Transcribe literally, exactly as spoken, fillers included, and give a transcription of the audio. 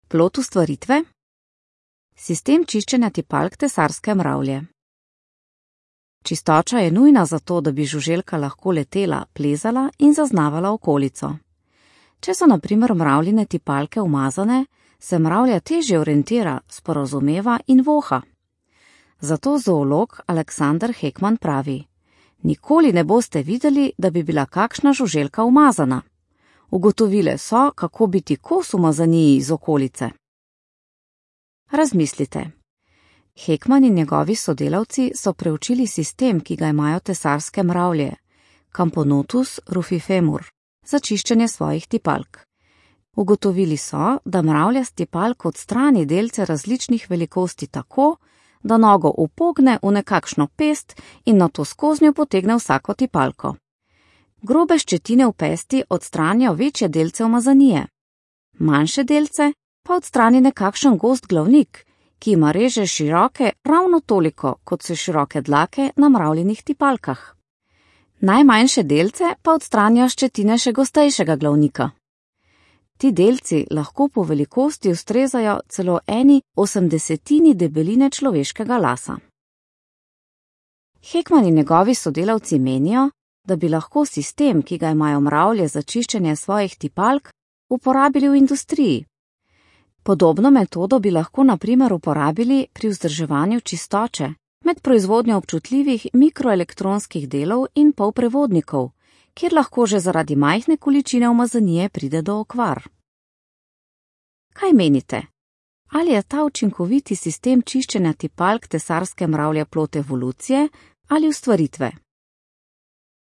Plod ustvaritve? Sistem čiščenja tipalk tesarske mravlje. Čistoča je nujna zato, da bi žuželka lahko letela, plezala in zaznavala okolico. Če so na primer mravljine tipalke umazane, se mravlja težje orientira, sporazumeva in voha. Zato zoolog Aleksander Hekman pravi: nikoli ne boste videli, da bi bila kakšna žuželka umazana. Ugotovile so, kako biti kos umazaniji iz okolice. Razmislite. Hekman in njegovi sodelavci so preučili sistem, ki ga imajo tesarske mravlje, Camponotus rufifemur, za čiščenje svojih tipalk. Ugotovili so, da mravlja s tipalk odstrani delce različnih velikosti tako, da nogo upogne v nekakšno pest in nato skoznjo potegne vsako tipalko. Grobe ščetine v pesti odstranijo večje delce umazanije. Manjše delce pa odstrani nekakšen gost glavnik, ki ima reže široke ravno toliko, kot so široke dlake na mravljinih tipalkah. Najmanjše delce pa odstranijo ščetine še gostejšega glavnika. Ti delci lahko po velikosti ustrezajo celo eni osemdesetini debeline človeškega lasa. Hekman in njegovi sodelavci menijo, da bi lahko sistem, ki ga imajo mravlje za čiščenje svojih tipalk, uporabili v industriji. Podobno metodo bi lahko na primer uporabili pri vzdrževanju čistoče med proizvodnjo občutljivih mikroelektronskih delov in polprevodnikov, kjer lahko že zaradi majhne količine umazanije pride do okvar. Kaj menite? Ali je ta učinkoviti sistem čiščenja tipalk tesarske mravlje plod evolucije ali ustvaritve?